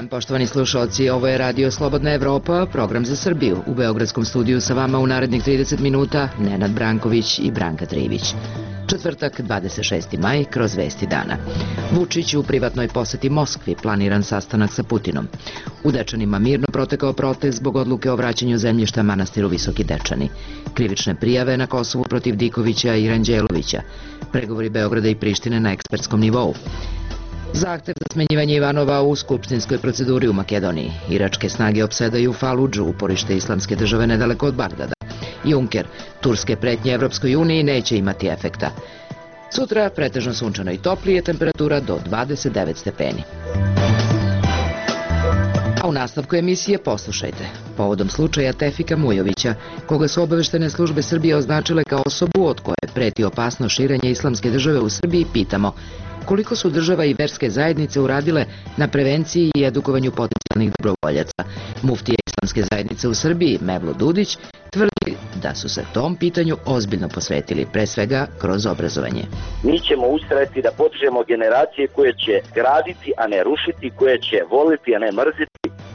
dan, poštovani slušalci. Ovo je Radio Slobodna Evropa, program za Srbiju. U Beogradskom studiju sa vama u narednih 30 minuta Nenad Branković i Branka Trivić. Četvrtak, 26. maj, kroz vesti dana. Vučić u privatnoj poseti Moskvi, planiran sastanak sa Putinom. U Dečanima mirno protekao protest zbog odluke o vraćanju zemljišta manastiru Visoki Dečani. Krivične prijave na Kosovu protiv Dikovića i Ranđelovića. Pregovori Beograda i Prištine na ekspertskom nivou. Zahtev za smenjivanje Ivanova u skupštinskoj proceduri u Makedoniji. Iračke snage opsedaju Faludžu, uporište islamske države nedaleko od Bagdada. Juncker, turske pretnje Evropskoj uniji neće imati efekta. Sutra pretežno sunčano i toplije, temperatura do 29 stepeni. A u nastavku emisije poslušajte. Povodom slučaja Tefika Mujovića, koga su obaveštene službe Srbije označile kao osobu od koje preti opasno širenje islamske države u Srbiji, pitamo koliko su država i verske zajednice uradile na prevenciji i edukovanju potencijalnih dobrovoljaca. Muftija islamske zajednice u Srbiji, Mevlut Dudić, tvrdi da su se tom pitanju ozbiljno posvetili, pre svega kroz obrazovanje. Mi ćemo ustrajati da podižemo generacije koje će graditi, a ne rušiti, koje će voliti, a ne mrziti.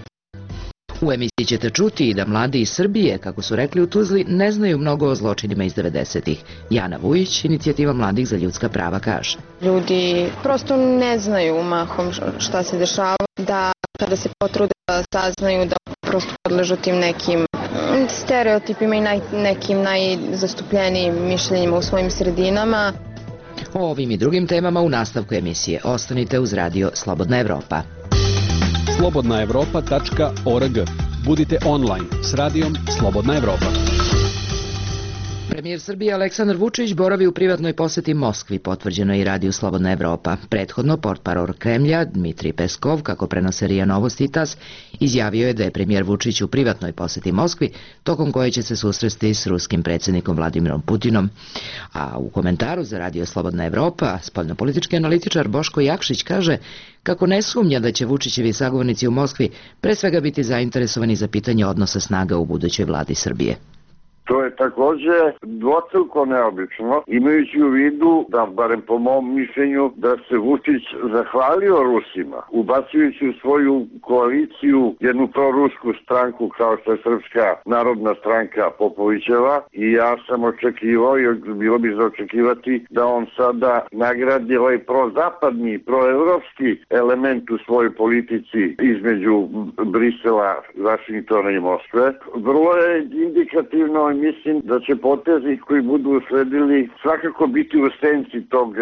U emisiji ćete čuti i da mladi iz Srbije, kako su rekli u Tuzli, ne znaju mnogo o zločinima iz 90-ih. Jana Vujić, inicijativa mladih za ljudska prava, kaže. Ljudi prosto ne znaju mahom šta se dešava, da kada se potrude da saznaju da prosto podležu tim nekim stereotipima i nekim najzastupljenijim mišljenjima u svojim sredinama. O ovim i drugim temama u nastavku emisije. Ostanite uz Radio Slobodna Evropa. slobodnaevropa.org. Budite online s radijom Slobodna Evropa. Premijer Srbije Aleksandar Vučić boravi u privatnoj poseti Moskvi, potvrđeno je i radiju Slobodna Evropa. Prethodno, portparol Kremlja, Dmitrij Peskov, kako prenose RIA Novosti i TAS, izjavio je da je premijer Vučić u privatnoj poseti Moskvi, tokom koje će se susresti s ruskim predsjednikom Vladimirom Putinom. A u komentaru za radio Slobodna Evropa, spoljnopolitički analitičar Boško Jakšić kaže kako ne sumnja da će Vučićevi sagovornici u Moskvi pre svega biti zainteresovani za pitanje odnosa snaga u budućoj vladi Srbije. To je takođe dvostruko neobično, imajući u vidu da, barem po mom mišljenju, da se Vučić zahvalio Rusima, ubacujući u svoju koaliciju jednu prorusku stranku kao što je Srpska narodna stranka Popovićeva, i ja sam očekivao, i bilo bi za očekivati, da on sada nagradi ovaj prozapadni, proevropski element u svojoj politici između Brisela, Vašingtona i Moskve. Vrlo je indikativno. Mislim da će potezi koji budu usledili svakako biti u senci tog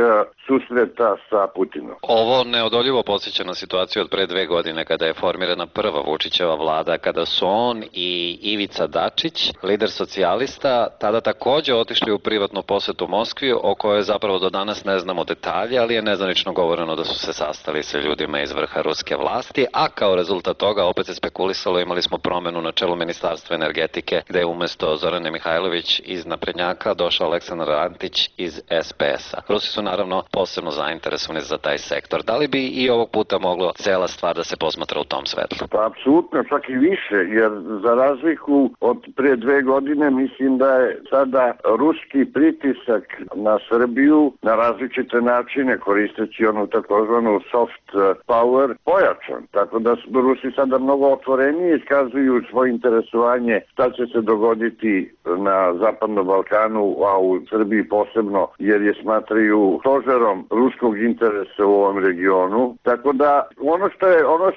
susreta sa Putinom. Ovo neodoljivo podsjeća na situaciju od pre 2 godine kada je formirana prva Vučićeva vlada, kada su on i Ivica Dačić, lider socijalista, tada takođe otišli u privatnu posetu Moskvi, o kojoj zapravo do danas ne znamo detalje, ali je nezvanično govoreno da su se sastali sa ljudima iz vrha ruske vlasti, a kao rezultat toga opet se spekulisalo, imali smo promenu na čelu Ministarstva energetike, gde je umesto Zorane Mihajlović iz Naprednjaka došao Aleksandar Antić iz SPS-a. Rusi su naravno posebno zainteresovani za taj sektor. Da li bi i ovog puta moglo cela stvar da se posmatra u tom svetlu? Pa apsolutno, čak i više, jer za razliku od pre 2 godine mislim da je sada ruski pritisak na Srbiju na različite načine, koristeći onu takozvanu soft power, pojačan. Tako da su Rusi sada mnogo otvorenije iskazuju svoje interesovanje šta će se dogoditi na Zapadnom Balkanu, a u Srbiji posebno, jer je smatraju stožerom ruskog interesa u ovom regionu. Tako da ono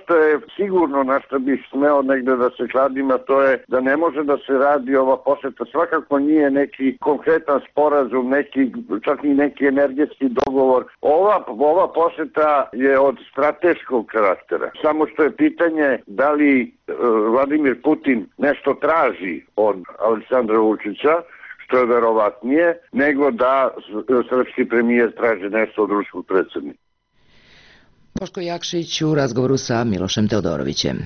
što je sigurno, na što bih smeo negde da se kladim, a to je da ne može da se radi ova poseta. Svakako nije neki konkretan sporazum, čak i neki energetski dogovor. Ova poseta je od strateškog karaktera. Samo što je pitanje da li Vladimir Putin nešto traži od Aleksandra Vučića, što je verovatnije, nego da srpski premijer traži nešto od ruskog predsjednika. Boško Jakšić u razgovoru sa Milošem Teodorovićem.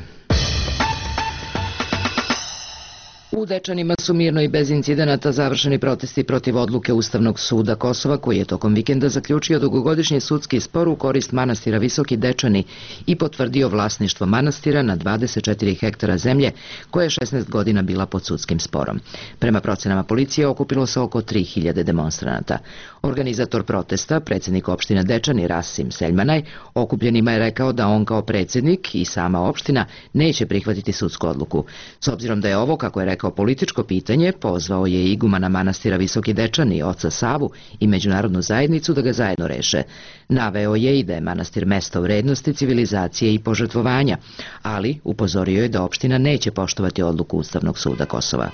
U U Dečanima su mirno i bez incidenata završeni protesti protiv odluke Ustavnog suda Kosova, koji je tokom vikenda zaključio dugogodišnji sudski spor u korist manastira Visoki Dečani i potvrdio vlasništvo manastira na 24 hektara zemlje, koja je 16 godina bila pod sudskim sporom. Prema procenama policije okupilo se oko 3000 demonstranata. Organizator protesta, predsjednik opštine Dečani Rasim Seljmanaj, okupljenima je rekao da on kao predsjednik i sama opština neće prihvatiti sudsku odluku. S obzirom da je ovo, kako je rekao, političko pitanje, pozvao je igumana manastira Visoki Dečani, oca Savu i međunarodnu zajednicu da ga zajedno reše. Naveo je i da je manastir mesto vrednosti, civilizacije i požrtvovanja, ali upozorio je da opština neće poštovati odluku Ustavnog suda Kosova.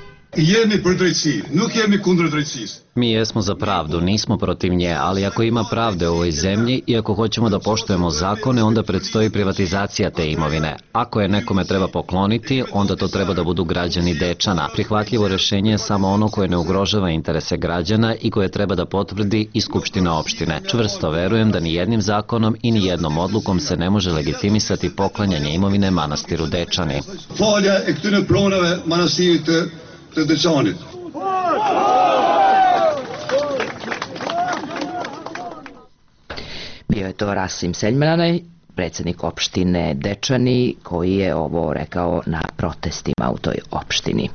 Mi jesmo za pravdu, nismo protiv nje, ali ako ima pravde u ovoj zemlji i ako hoćemo da poštujemo zakone, onda predstoji privatizacija te imovine. Ako je nekome treba pokloniti, onda to treba da budu građani Dečana. Prihvatljivo rešenje je samo ono koje ne ugrožava interese građana i koje treba da potvrdi i Skupština opštine. Čvrsto verujem da ni jednim zakonom i ni jednom odlukom se ne može legitimisati poklanjanje imovine manastiru Dečani. Bio je to Rasim Seljmanaj, predsjednik opštine Dečani, koji je ovo rekao na protestima u toj opštini.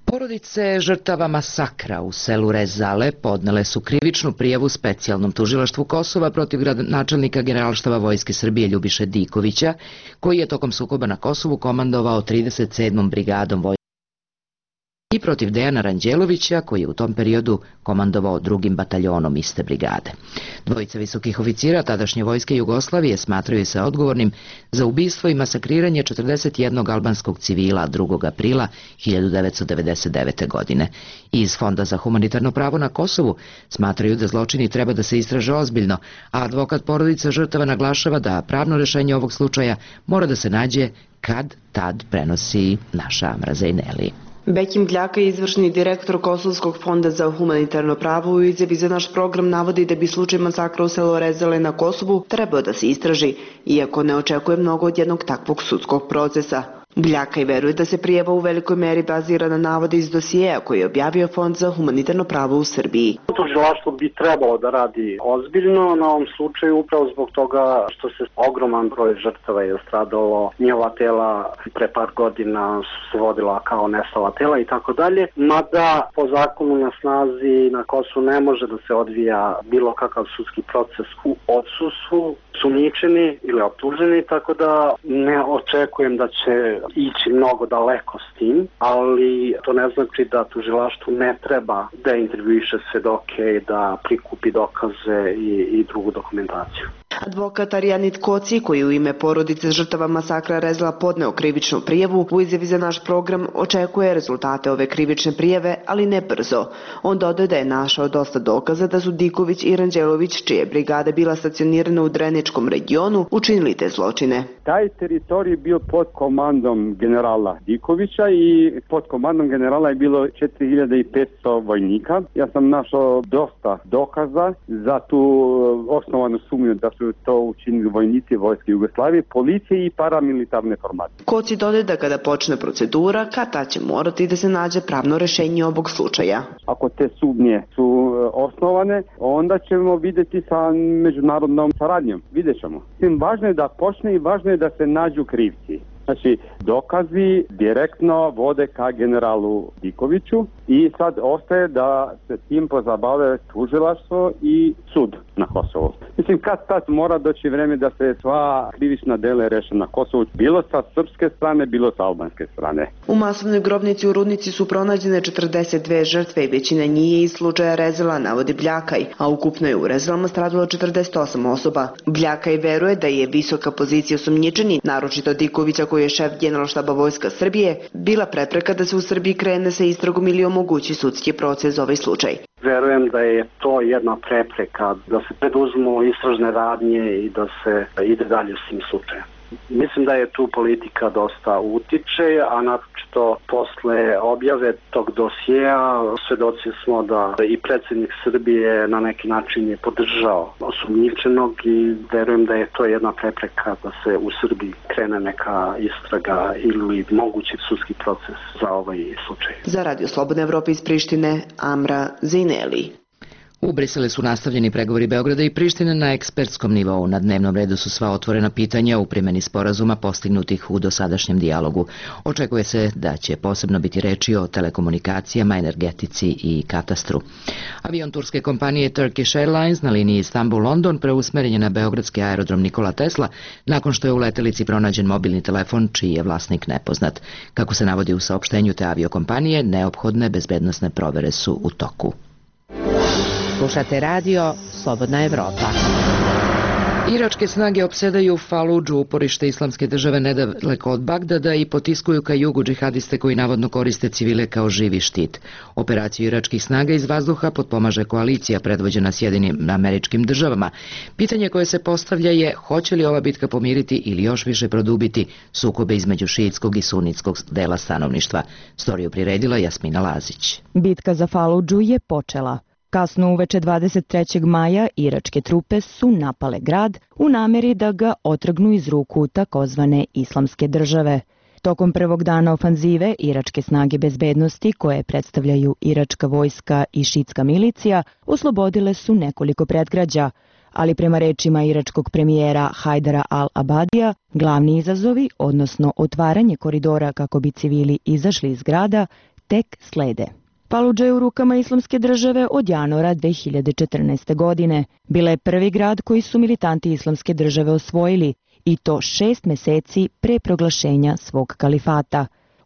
Porodice žrtava masakra u selu Rezale podnele su krivičnu prijavu specijalnom tužilaštvu Kosova protiv gradonačelnika Generalštaba Vojske Srbije Ljubiše Dikovića, koji je tokom sukoba na Kosovu komandovao 37. brigadom vojske i protiv Dejana Ranđelovića, koji je u tom periodu komandovao 2. bataljonom iste brigade. Dvojica visokih oficira tadašnje vojske Jugoslavije smatraju se odgovornim za ubistvo i masakriranje 41 albanskog civila 2. aprila 1999. godine. Iz Fonda za humanitarno pravo na Kosovu smatraju da zločini treba da se istraže ozbiljno, a advokat porodica žrtava naglašava da pravno rešenje ovog slučaja mora da se nađe kad tad, prenosi naša Amra Zejneli. Bekim Bljaka, izvršni direktor Kosovskog fonda za humanitarno pravo, u izjavi za naš program navodi da bi slučaj masakra u selu Rezale na Kosovu trebao da se istraži, iako ne očekuje mnogo od jednog takvog sudskog procesa. Bljaka i veruje da se prijava u velikoj meri bazira na navode iz dosijeja koji je objavio Fond za humanitarno pravo u Srbiji. Tužilaštvo bi trebalo da radi ozbiljno na ovom slučaju upravo zbog toga što se ogroman broj žrtava je stradalo, njihova tela pre par godina su se vodila kao nestala tela i tako dalje, mada po zakonu na snazi na Kosovu ne može da se odvija bilo kakav sudski proces u odsustvu sumnjičeni ili optuženi, tako da ne očekujem da će ići mnogo daleko s tim, ali to ne znači da tužilaštvu ne treba da intervjuiše svedoke i da prikupi dokaze i drugu dokumentaciju. Advokat Arijanit Koci, koji u ime porodice žrtava masakra Rezala podneo krivičnu prijavu, u izjavi za naš program očekuje rezultate ove krivične prijave, ali ne brzo. On dodaje da je našao dosta dokaza da su Diković i Ranđelović, čije brigade bila stacionirana u Dreničkom regionu, učinili te zločine. Taj teritorij bio pod komandom generala Dikovića i pod komandom generala je bilo 4500 vojnika. Ja sam našao dosta dokaza za tu osnovanu sumnju da su to učinili vojnici Vojske Jugoslavije, policije i paramilitarne formacije. Koci dodaje da kada počne procedura, kada će morati da se nađe pravno rešenje ovog slučaja. Ako te sumnje su osnovane, onda ćemo vidjeti sa međunarodnom saradnjom. Vidjet ćemo. Važno je da počne i važno je da se nađu krivci. Znači, dokazi direktno vode ka generalu Dikoviću i sad ostaje da se tim pozabave tužilaštvo i sud na Kosovu. Mislim, kad tad mora doći vreme da se sva krivična dela reše na Kosovu, bilo sa srpske strane, bilo sa albanske strane. U masovnoj grobnici u Rudnici su pronađene 42 žrtve i većina njih je iz slučaja Rezala, navodi Bljakaj, a ukupno je u Rezalama stradalo 48 osoba. Bljakaj veruje da je visoka pozicija osumnjičenih, naročito Dikovića koji je šef Generalštaba Vojska Srbije, bila prepreka da se u Srbiji krene sa istragom ili omogući sudski proces za ovaj slučaj. Verujem da je to jedna prepreka da se preduzmu istražne radnje i da se ide dalje s tim slučajem. Mislim da je tu politika dosta utiče, a naročito što posle objave tog dosjeja svedoci smo da i predsjednik Srbije na neki način je podržao osumnjičenog i verujem da je to jedna prepreka da se u Srbiji krene neka istraga ili mogući sudski proces za ovaj slučaj. Za Radio Slobodna Evropa iz Prištine, Amra Zineli. U Briselu su nastavljeni pregovori Beograda i Prištine na ekspertskom nivou. Na dnevnom redu su sva otvorena pitanja u primjeni sporazuma postignutih u dosadašnjem dijalogu. Očekuje se da će posebno biti reči o telekomunikacijama, energetici i katastru. Avion turske kompanije Turkish Airlines na liniji Istanbul-London preusmeren je na beogradski aerodrom Nikola Tesla nakon što je u letelici pronađen mobilni telefon čiji je vlasnik nepoznat. Kako se navodi u saopštenju te aviokompanije, neophodne bezbednosne provere su u toku. Slušate radio Slobodna Evropa. Iračke snage opsedaju Faludžu, uporište islamske države nedaleko od Bagdada, i potiskuju ka jugu džihadiste koji navodno koriste civile kao živi štit. Operaciju iračkih snaga iz vazduha potpomaže koalicija predvođena Sjedinim Američkim Državama. Pitanje koje se postavlja je hoće li ova bitka pomiriti ili još više produbiti sukobe između šiitskog i sunitskog dela stanovništva. Storiju priredila Jasmina Lazić. Bitka za Faludžu je počela. Kasno uveče 23. maja iračke trupe su napale grad u nameri da ga otrgnu iz ruku takozvane islamske države. Tokom prvog dana ofanzive, iračke snage bezbednosti, koje predstavljaju iračka vojska i šitska milicija, oslobodile su nekoliko predgrađa, ali prema rečima iračkog premijera Hajdara al-Abadija, glavni izazovi, odnosno otvaranje koridora kako bi civili izašli iz grada, tek slede. Faludža je u rukama islamske države od januara 2014. godine. Bila je prvi grad koji su militanti islamske države osvojili, i to 6 meseci pre proglašenja svog kalifata.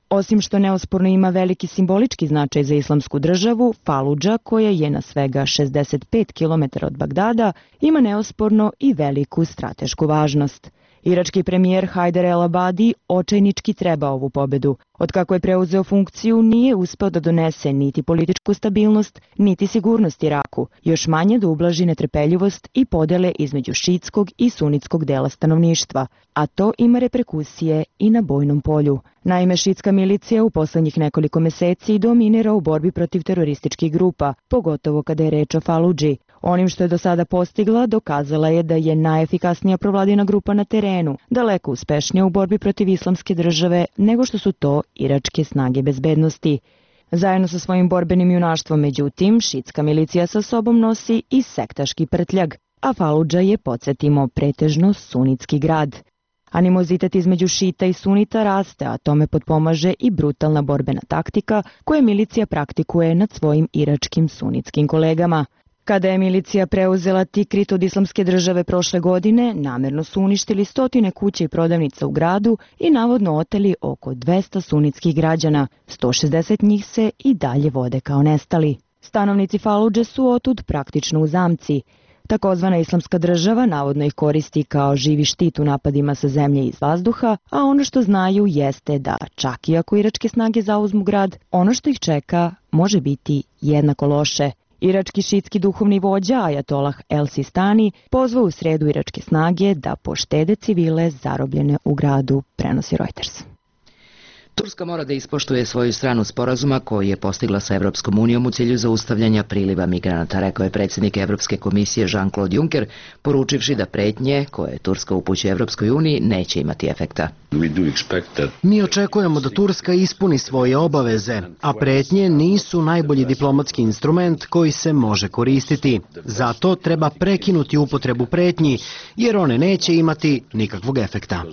Osim što neosporno ima veliki simbolički značaj za islamsku državu, Faludža, koja je na svega 65 km od Bagdada, ima neosporno i veliku stratešku važnost. Irački premijer Hajdar el-Abadi očajnički treba ovu pobedu. Otkako je preuzeo funkciju, nije uspeo da donese niti političku stabilnost, niti sigurnost Iraku, još manje da ublaži netrpeljivost i podele između šitskog i sunitskog dela stanovništva, a to ima reperkusije i na bojnom polju. Naime, šitska milicija u poslednjih nekoliko meseci dominira u borbi protiv terorističkih grupa, pogotovo kada je reč o Faludži. Onim što je do sada postigla, dokazala je da je najefikasnija provladina grupa na terenu, daleko uspešnija u borbi protiv islamske države nego što su to iračke snage bezbednosti. Zajedno sa svojim borbenim junaštvom, međutim, šitska milicija sa sobom nosi i sektaški prtljag, a Faludža je, podsjetimo, pretežno sunitski grad. Animozitet između šita i sunita raste, a tome potpomaže i brutalna borbena taktika koje milicija praktikuje nad svojim iračkim sunitskim kolegama. Kada je milicija preuzela Tikrit od islamske države prošle godine, namerno su uništili 100 kuća i prodavnica u gradu i navodno oteli oko 200 sunitskih građana. 160 njih se i dalje vode kao nestali. Stanovnici Faludže su otud praktično u zamci. Takozvana islamska država navodno ih koristi kao živi štit u napadima sa zemlje i iz vazduha, a ono što znaju jeste da, čak i ako iračke snage zauzmu grad, ono što ih čeka može biti jednako loše. Irački šitski duhovni vođa Ajatolah el-Sistani pozvao u sredu iračke snage da poštede civile zarobljene u gradu, prenosi Reuters. Turska mora da ispoštuje svoju stranu sporazuma koji je postigla sa Evropskom unijom u cilju zaustavljanja priliva migranata, rekao je predsjednik Evropske komisije Jean-Claude Juncker, poručivši da pretnje koje Turska upućuje Evropskoj uniji neće imati efekta. Mi očekujemo da Turska ispuni svoje obaveze, a pretnje nisu najbolji diplomatski instrument koji se može koristiti. Zato treba prekinuti upotrebu pretnji, jer one neće imati nikakvog efekta.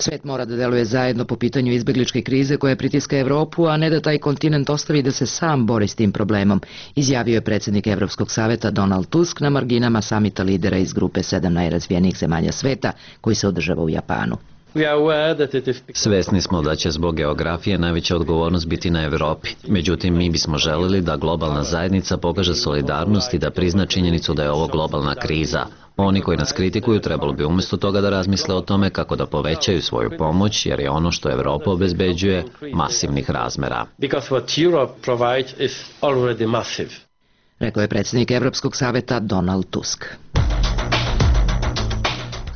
Svet mora da deluje zajedno po pitanju izbegličke krize koja pritiska Evropu, a ne da taj kontinent ostavi da se sam bori s tim problemom, izjavio je predsjednik Evropskog saveta Donald Tusk na marginama samita lidera iz grupe 7 najrazvijenijih zemalja sveta koji se održava u Japanu. Svesni smo da će zbog geografije najveća odgovornost biti na Evropi. Međutim, mi bismo želeli da globalna zajednica pokaže solidarnost i da prizna činjenicu da je ovo globalna kriza. Oni koji nas kritikuju trebalo bi umjesto toga da razmisle o tome kako da povećaju svoju pomoć, jer je ono što Evropa obezbeđuje masivnih razmera. Rekao je predsjednik Evropskog saveta Donald Tusk.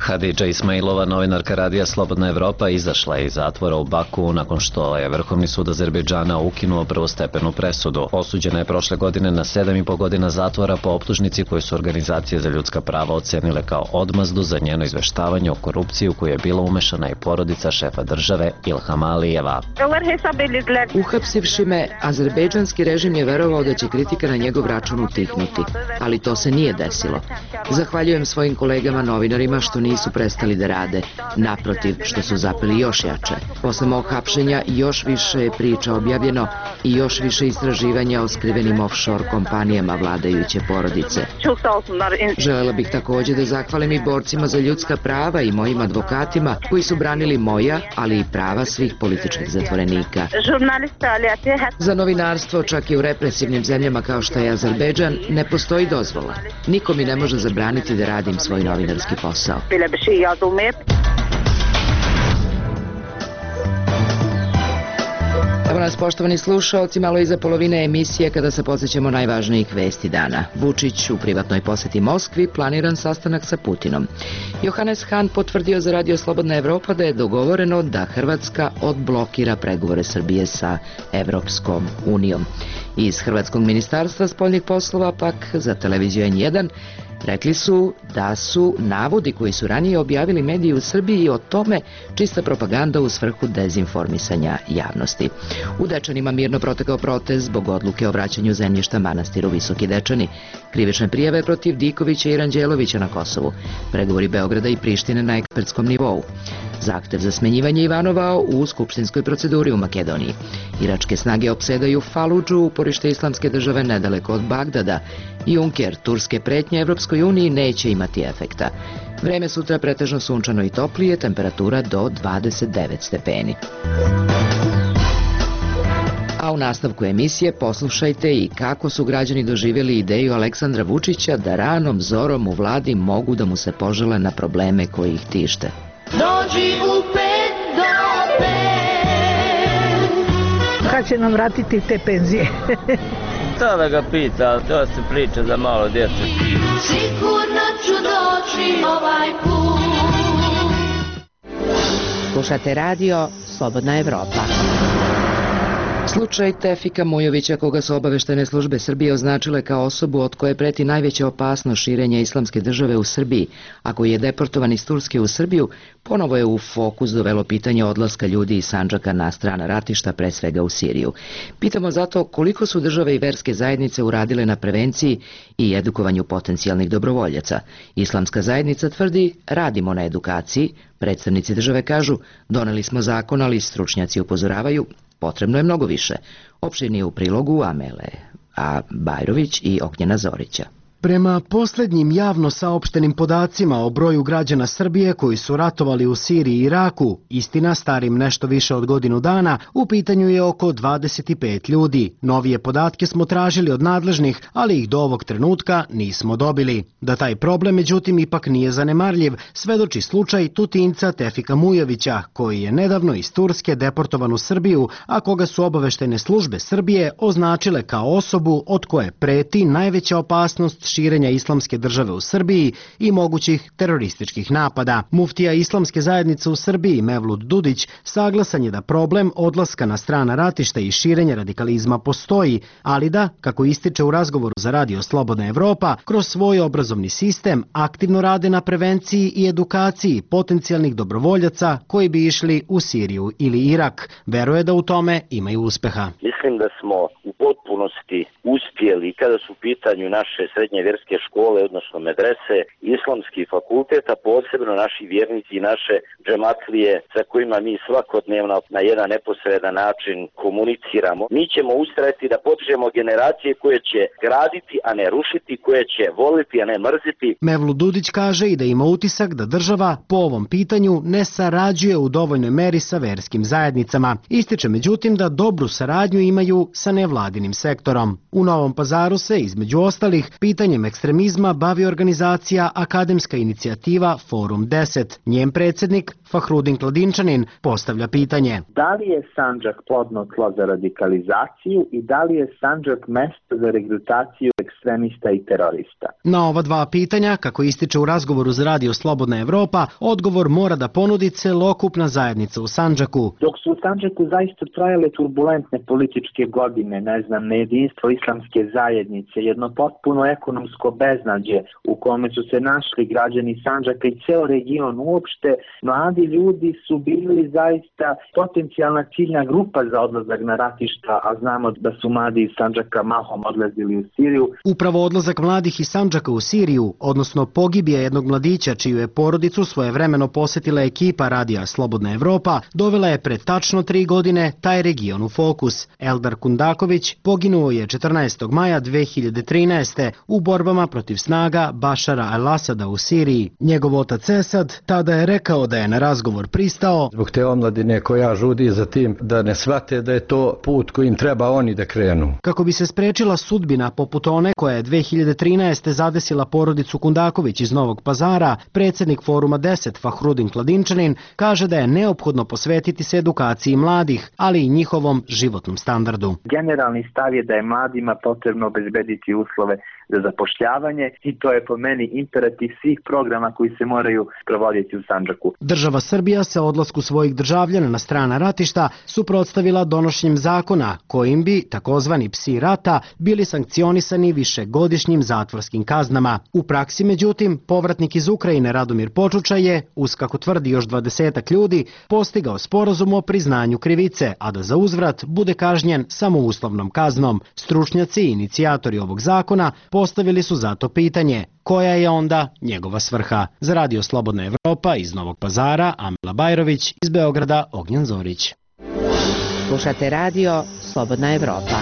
Hadidža Ismailova, novinarka radija Slobodna Evropa, izašla je iz zatvora u Baku nakon što je Vrhovni sud Azerbejdžana ukinuo prvostepenu presudu. Osuđena je prošle godine na 7,5 godina zatvora po optužnici koju su organizacije za ljudska prava ocenile kao odmazdu za njeno izveštavanje o korupciji u koju je bila umešana i porodica šefa države Ilhama Alijeva. Uhapsivši me, azerbejdžanski režim je verovao da će kritika na njegov račun utihnuti, ali to se nije desilo. Zahvaljujem svojim kolegama novinarima što nisu prestali da rade, naprotiv što su zapeli još jače. Posle mog hapšenja još više je priča objavljeno i još više istraživanja o skrivenim offshore kompanijama vladajuće porodice. Želela bih takođe da zahvalim i borcima za ljudska prava i mojim advokatima koji su branili moja, ali i prava svih političkih zatvorenika. Za novinarstvo, čak i u represivnim zemljama kao što je Azerbejdžan, ne postoji dozvola. Niko mi ne može zabraniti da radim svoj novinarski posao. Evo nas, poštovani slušaoci, malo iza polovine emisije kada se podsjećamo najvažnijih vesti dana. Vučić u privatnoj poseti Moskvi, planiran sastanak sa Putinom. Johannes Hahn potvrdio za Radio Slobodna Evropa da je dogovoreno da Hrvatska odblokira pregovore Srbije sa Evropskom unijom. Iz Hrvatskog ministarstva spoljnih poslova pak za televiziju N1 rekli su da su navodi koji su ranije objavili mediji u Srbiji o tome čista propaganda u svrhu dezinformisanja javnosti. U Dečanima mirno protekao protest zbog odluke o vraćanju zemljišta manastiru Visoki Dečani. Krivične prijave protiv Dikovića i Ranđelovića na Kosovu. Pregovori Beograda i Prištine na ekspertskom nivou. Zahtev za smenjivanje Ivanova u skupštinskoj proceduri u Makedoniji. Iračke snage opsedaju Faludžu, uporište islamske države nedaleko od Bagdada. Juncker, turske pretnje Evropskoj uniji neće imati efekta. Vreme sutra pretežno sunčano i toplije, temperatura do 29 stepeni. A u nastavku emisije poslušajte i kako su građani doživjeli ideju Aleksandra Vučića da ranom zorom u vladi mogu da mu se požele na probleme koji ih tište. Dođi u 5 do 5. Kad će nam vratiti te penzije? To da ga pita, to se priča za malo djece. Sigurno ću doći ovaj put. Slušate radio Slobodna Evropa. Slučaj Tefika Mujovića, koga su obaveštene službe Srbije označile kao osobu od koje preti najveća opasnost širenja islamske države u Srbiji, a koji je deportovan iz Turske u Srbiju, ponovo je u fokus dovelo pitanje odlaska ljudi iz Sandžaka na strana ratišta, pre svega u Siriju. Pitamo zato koliko su države i verske zajednice uradile na prevenciji i edukovanju potencijalnih dobrovoljaca. Islamska zajednica tvrdi, radimo na edukaciji, predstavnici države kažu, doneli smo zakon, ali stručnjaci upozoravaju, potrebno je mnogo više. Opširnije u prilogu Amele Bajrović i Ognjena Zorića. Prema poslednjim javno saopštenim podacima o broju građana Srbije koji su ratovali u Siriji i Iraku, istina starim nešto više od godinu dana, u pitanju je oko 25 ljudi. Novije podatke smo tražili od nadležnih, ali ih do ovog trenutka nismo dobili. Da taj problem, međutim, ipak nije zanemarljiv, svedoči slučaj Tutinca Tefika Mujovića, koji je nedavno iz Turske deportovan u Srbiju, a koga su obaveštene službe Srbije označile kao osobu od koje preti najveća opasnost širenja islamske države u Srbiji i mogućih terorističkih napada. Muftija islamske zajednice u Srbiji Mevlut Dudić saglasan je da problem odlaska na strana ratišta i širenja radikalizma postoji, ali da, kako ističe u razgovoru za Radio Slobodna Evropa, kroz svoj obrazovni sistem aktivno rade na prevenciji i edukaciji potencijalnih dobrovoljaca koji bi išli u Siriju ili Irak. Veruje da u tome imaju uspeha. Mislim da smo u potpunosti uspjeli kada su u pitanju naše srednje vjerske škole, odnosno medrese, islamski fakultet, a posebno naši vjernici i naše džematlije sa kojima mi svakodnevno na jedan neposredan način komuniciramo. Mi ćemo ustrajati da podižemo generacije koje će graditi, a ne rušiti, koje će voliti, a ne mrziti. Mevlut Dudić kaže i da ima utisak da država po ovom pitanju ne sarađuje u dovoljnoj meri sa verskim zajednicama. Ističe međutim da dobru saradnju imaju sa nevladinim sektorom. U Novom Pazaru se, između ostalih, pitanjem ekstremizma bavi organizacija Akademska inicijativa Forum 10. Njen predsjednik, Fahrudin Kladinčanin, postavlja pitanje. Da li je Sandžak plodno tlo za radikalizaciju i da li je Sandžak mesto za regrutaciju ekstremista i terorista. Na ova dva pitanja, kako ističe u razgovoru za Radio Slobodna Evropa, odgovor mora da ponudi celokupna zajednica u Sandžaku. Dok su u Sandžaku zaista trajale turbulentne političke godine, nejedinstvo islamske zajednice, jedno potpuno ekonomsko beznađe u kome su se našli građani Sandžaka i ceo region uopšte, mladi ljudi su bili zaista potencijalna ciljna grupa za odlazak na ratišta, a znamo da su mladi iz Sandžaka mahom odlazili u Siriju. Upravo odlazak mladih iz Sandžaka u Siriju, odnosno pogibija jednog mladića čiju je porodicu svojevremeno posetila ekipa Radija Slobodna Evropa, dovela je pred tačno 3 godine taj region u fokus. Eldar Kundaković poginuo je 14. maja 2013. u borbama protiv snaga Bašara al-Asada u Siriji. Njegov otac Esad tada je rekao da je na razgovor pristao zbog te omladine koja žudi za tim da ne shvate da je to put kojim treba oni da krenu. Kako bi se sprečila sudbina poput one koja je 2013. zadesila porodicu Kundaković iz Novog Pazara, predsjednik Foruma 10 Fahrudin Kladinčanin kaže da je neophodno posvetiti se edukaciji mladih, ali i njihovom životnom standardu. Generalni stav je da je mladima potrebno obezbediti uslove za zapošljavanje i to je po meni imperativ svih programa koji se moraju provoditi u Sandžaku. Država Srbija se odlasku svojih državljana na strana ratišta suprotstavila donošenjem zakona kojim bi takozvani psi rata bili sankcionisani višegodišnjim zatvorskim kaznama. U praksi, međutim, povratnik iz Ukrajine Radomir Počuča je, uz kako tvrdi još 20 ljudi, postigao sporazum o priznanju krivice, a da za uzvrat bude kažnjen samo uslovnom kaznom. Stručnjaci i inicijatori ovog zakona postavili su zato pitanje koja je onda njegova svrha. Za Radio Slobodna Evropa iz Novog Pazara, Amila Bajrović, iz Beograda Ognjen Zorić. Slušate Radio Slobodna Evropa.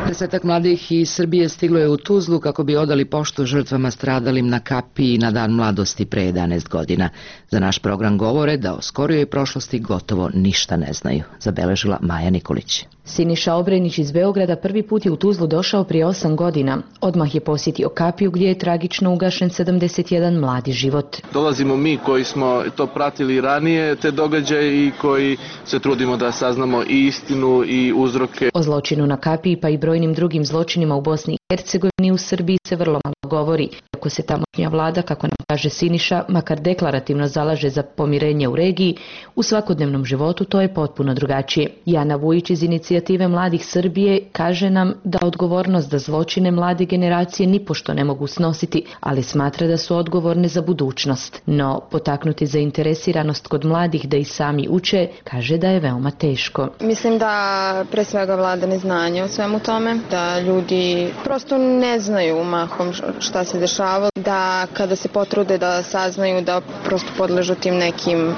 10 mladih iz Srbije stiglo je u Tuzlu kako bi odali poštu žrtvama stradalim na Kapiji na Dan mladosti pre 11 godina. Za naš program govore da o skorijoj prošlosti gotovo ništa ne znaju, zabeležila Maja Nikolić. Siniša Obrenić iz Beograda prvi put je u Tuzlu došao prije 8 godina. Odmah je posjetio Kapiju gdje je tragično ugašen 71 mladi život. Dolazimo mi koji smo to pratili ranije, te događaje i koji se trudimo da saznamo i istinu i uzroke. O zločinu na Kapiji pa i brojnim drugim zločinima u Bosni i Hercegovini u Srbiji se vrlo malo govori. Iako se tamošnja vlada, kako nam kaže Siniša, makar deklarativno zalaže za pomirenje u regiji, u svakodnevnom životu to je potpuno drugačije. Jana Vujić iz Inicijative mladih Srbije kaže nam da odgovornost za zločine mlade generacije nipošto ne mogu snositi, ali smatra da su odgovorne za budućnost. No, potaknuti zainteresiranost kod mladih da i sami uče, kaže da je veoma teško. Mislim da pre svega vlada neznanje o svemu tome, da ljudi prosto ne znaju mahom šta se dešava, da kada se potrude da saznaju da prosto podležu tim nekim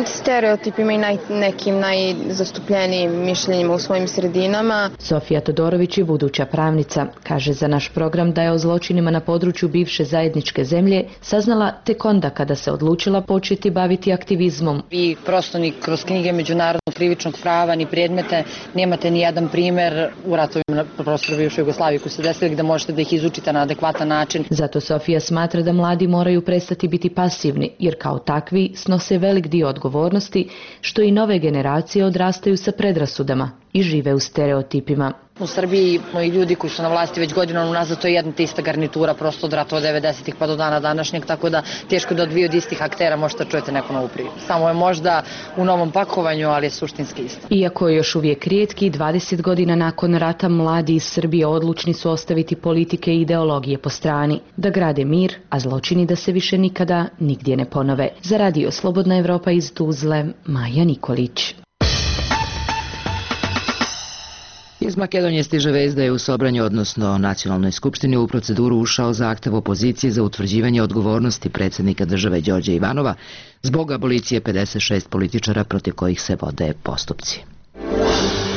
stereotipima i nekim najzastupljenijim mišljenjima u svojim sredinama. Sofija Todorović je buduća pravnica. Kaže za naš program da je o zločinima na području bivše zajedničke zemlje saznala tek onda kada se odlučila početi baviti aktivizmom. Vi prosto ni kroz knjige međunarodnog krivičnog prava ni predmete nemate ni jedan primer u ratovima na prostoru bivše Jugoslavije koji se desili gde možete da ih izučite na adekvatan način. Zato Sofija smatra da mladi moraju prestati biti pasivni, jer kao takvi snose velik dio odgovornosti, što i nove generacije odrastaju sa predrasudama i žive u stereotipima. U Srbiji i ljudi koji su na vlasti već godinama unazad, to je jedna te ista garnitura prosto od ratova 90-ih pa do dana današnjeg, tako da teško da od dvije od istih aktera možete čujete neku novu priču. Samo je možda u novom pakovanju, ali je suštinski isto. Iako je još uvijek rijetki, 20 godina nakon rata mladi iz Srbije odlučni su ostaviti politike i ideologije po strani, da grade mir, a zločini da se više nikada nigdje ne ponove. Za Radio Slobodna Evropa iz Tuzle, Maja Nikolić. Iz Makedonije stiže vest da je u Sobranju, odnosno Nacionalnoj skupštini, u proceduru ušao zahtev opozicije za utvrđivanje odgovornosti predsjednika države Đorđa Ivanova zbog abolicije 56 političara protiv kojih se vode postupci.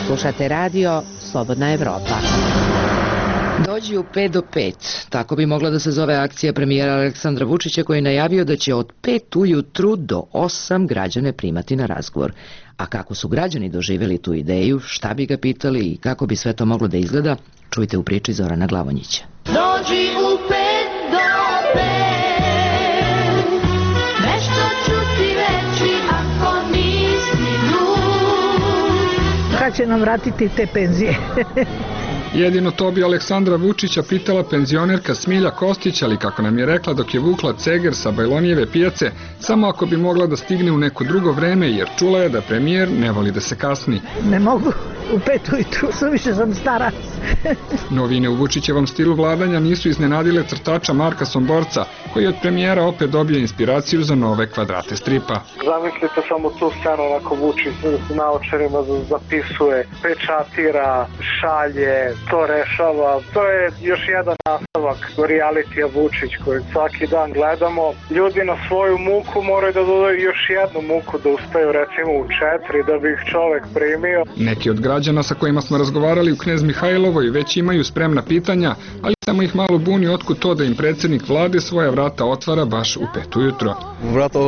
Slušate Radio Slobodna Evropa. Dođi u 5 do 5. Tako bi mogla da se zove akcija premijera Aleksandra Vučića koji je najavio da će od 5 ujutru do 8 građane primati na razgovor. A kako su građani doživjeli tu ideju, šta bi ga pitali i kako bi sve to moglo da izgleda, čujte u priči Zorana Glavonjića. Dođi u 5 do 5, nešto ću ti reći ako nisi lud. Kad će nam vratiti te penzije? Jedino to bi Aleksandra Vučića pitala penzionerka Smilja Kostić, ali kako nam je rekla dok je vukla ceger sa Bajlonijeve pijace, samo ako bi mogla da stigne u neko drugo vreme, jer čula je da premijer ne voli da se kasni. Ne mogu u 5 ujutru, suviše sam stara. Novine u Vučićevom stilu vladanja nisu iznenadile crtača Marka Somborca, koji je od premijera opet dobio inspiraciju za nove kvadrate stripa. Zamislite samo tu scenu onako Vučić s naočarima zapisuje, pečatira, šalje, to rešava. To je još jedan nastavak realitija Vučić koji svaki dan gledamo. Ljudi na svoju muku moraju da dodaju još jednu muku da uspeju recimo u 4 da bi ih čovek primio. Neki od građana sa kojima smo razgovarali u Knez Mihajlovoj već imaju spremna pitanja, ali samo ih malo buni otkud to da im predsjednik vlade svoja vrata otvara baš u 5 ujutro. Vrata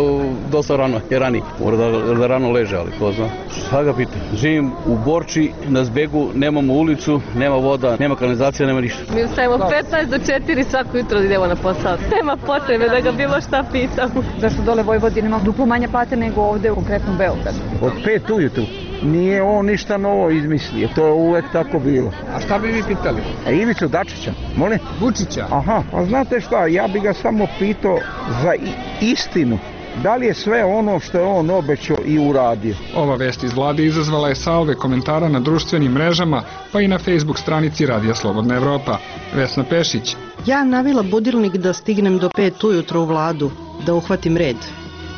dosta rano, je rani. Mora da rano leže, ali ko zna. Šta ga pita? Živim u Borči, na Zbegu, nemamo ulicu, nema voda, nema kanalizacija, nema ništa. Mi ustajemo 15 do 4 svako jutro idemo na posao. Nema potrebe da ga bilo šta pitamo. Zašto dole Vojvodina ima duplo manje plate nego ovde u konkretnom Beogradu? Od 5 ujutru. Nije on ništa novo izmislio, to je uvek tako bilo. A šta bi vi pitali? Ivicu Dačića, molim? Vučića? Aha, pa znate šta, ja bi ga samo pitao za istinu. Da li je sve ono što je on obećao i uradio? Ova vest iz vlade izazvala je salve komentara na društvenim mrežama, pa i na Facebook stranici Radija Slobodna Evropa. Vesna Pešić. Ja navila budilnik da stignem do 5 ujutro u vladu, da uhvatim red.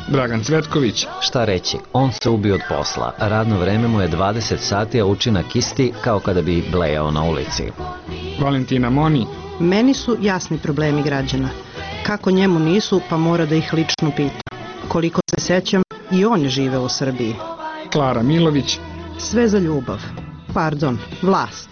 Dragan Cvetković. Šta reći, on se ubio od posla. Radno vreme mu je 20 sati, a učinak isti kao kada bi blejao na ulici. Valentina Moni. Meni su jasni problemi građana. Kako njemu nisu, pa mora da ih lično pita. Koliko se sećam, i on je živeo u Srbiji. Klara Milović. Sve za ljubav. Pardon, vlast.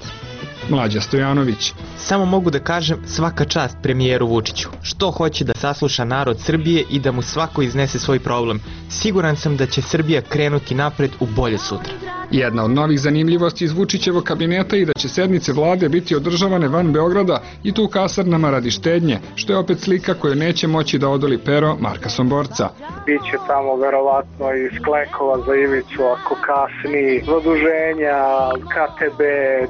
Mlađa Stojanović. Samo mogu da kažem svaka čast premijeru Vučiću. Što hoće da sasluša narod Srbije i da mu svako iznese svoj problem. Siguran sam da će Srbija krenuti napred u bolje sutra. Jedna od novih zanimljivosti iz Vučićevog kabineta je da će sednice vlade biti održavane van Beograda i tu u kasarnama radi štednje, što je opet slika koju neće moći da odoli pero Marka Somborca. Biće tamo verovatno i sklekova za Ivicu ako kasni, zaduženja, KTB,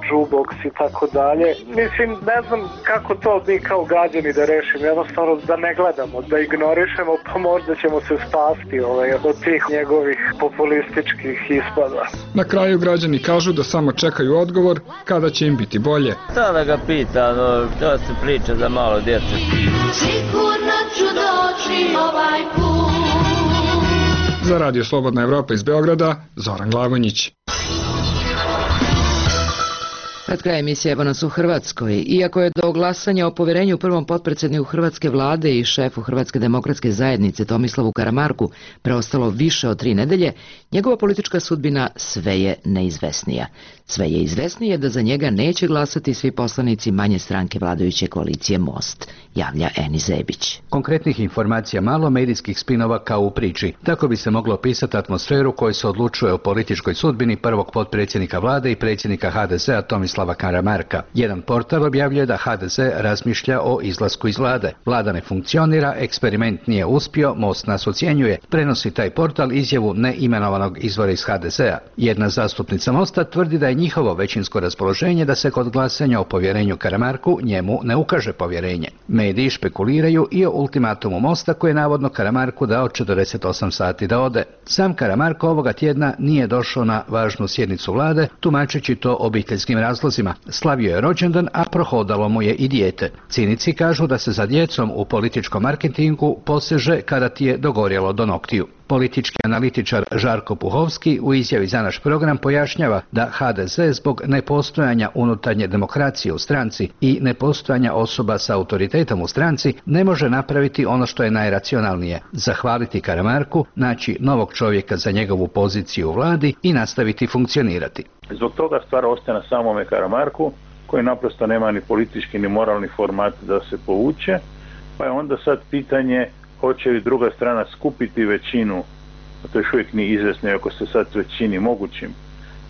Džuboks i tako dalje. Mislim, ne znam kako to mi kao građani da rešimo, jednostavno da ne gledamo, da ignorišemo, pa možda ćemo se spasti od tih njegovih populističkih ispada. Na kraju građani kažu da samo čekaju odgovor kada će im biti bolje. Šta da ga pita, to se priča za malo djece. Sigurno ću doći ovaj put. Za Radio Slobodna Evropa iz Beograda, Zoran Glagonić. Pred kraj emisije evo nas u Hrvatskoj. Iako je do glasanja o poverenju prvom potpredsjedniku Hrvatske vlade i šefu Hrvatske demokratske zajednice Tomislavu Karamarku preostalo više od 3 nedelje, njegova politička sudbina sve je neizvesnija. Sve je izvesnije da za njega neće glasati svi poslanici manje stranke vladajuće koalicije Most, javlja Eni Zebić. Konkretnih informacija malo, medijskih spinova kao u priči. Tako bi se moglo opisati atmosferu koju se odlučuje o političkoj sudbini prvog potpredsjednika vlade i predsjednika HDZ-a Tomislava Karamarka. Jedan portal objavljuje da HDZ razmišlja o izlasku iz vlade. Vlada ne funkcionira, eksperiment nije uspio, Most nas ocjenjuje. Prenosi taj portal izjavu neimenovanog izvora iz HDZ-a. Jedna zastupnica Mosta tvrdi da je njihovo većinsko raspoloženje da se kod glasanja o povjerenju Karamarku njemu ne ukaže povjerenje. Mediji špekuliraju i o ultimatumu Mosta koji je navodno Karamarku dao 48 sati da ode. Sam Karamarko ovoga tjedna nije došao na važnu sjednicu vlade, tumačeći to obiteljskim razlozima. Slavio je rođendan, a prohodalo mu je i dijete. Cinici kažu da se za djecom u političkom marketingu poseže kada ti je dogorjelo do noktiju. Politički analitičar Žarko Puhovski u izjavi za naš program pojašnjava da HDZ zbog nepostojanja unutarnje demokracije u stranci i nepostojanja osoba sa autoritetom u stranci ne može napraviti ono što je najracionalnije, zahvaliti Karamarku, naći novog čovjeka za njegovu poziciju u vladi i nastaviti funkcionirati. Zbog toga stvar ostaje na samome Karamarku, koji naprosto nema ni politički ni moralni format da se povuče, pa je onda sad pitanje hoće li druga strana skupiti većinu, a to još uvijek nije izvjesno ako se sad već čini mogućim,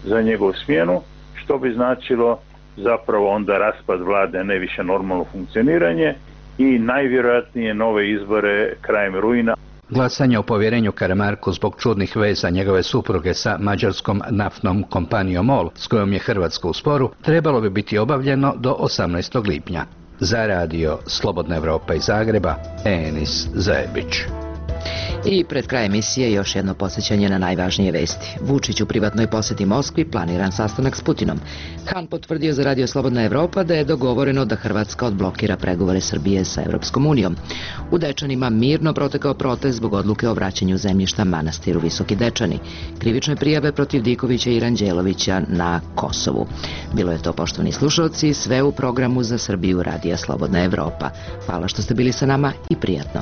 za njegovu smjenu, što bi značilo zapravo onda raspad vlade, ne više normalno funkcioniranje i najvjerojatnije nove izbore krajem rujna. Glasanje o povjerenju Karamarku zbog čudnih veza njegove supruge sa mađarskom naftnom kompanijom MOL, s kojom je Hrvatska u sporu, trebalo bi biti obavljeno do 18. lipnja. Za radio Slobodna Evropa iz Zagreba, Enis Zajebić. I pred kraj emisije još jedno podsjećanje na najvažnije vesti. Vučić u privatnoj posjeti Moskvi, planiran sastanak s Putinom. Han potvrdio za radio Slobodna Evropa da je dogovoreno da Hrvatska odblokira pregovore Srbije sa Evropskom unijom. U Dečanima mirno protekao protest zbog odluke o vraćanju zemljišta manastiru Visoki Dečani. Krivične prijave protiv Dikovića i Ranđelovića na Kosovu. Bilo je to, poštovani slušalci, sve u programu za Srbiju radija Slobodna Evropa. Hvala što ste bili sa nama i prijatno.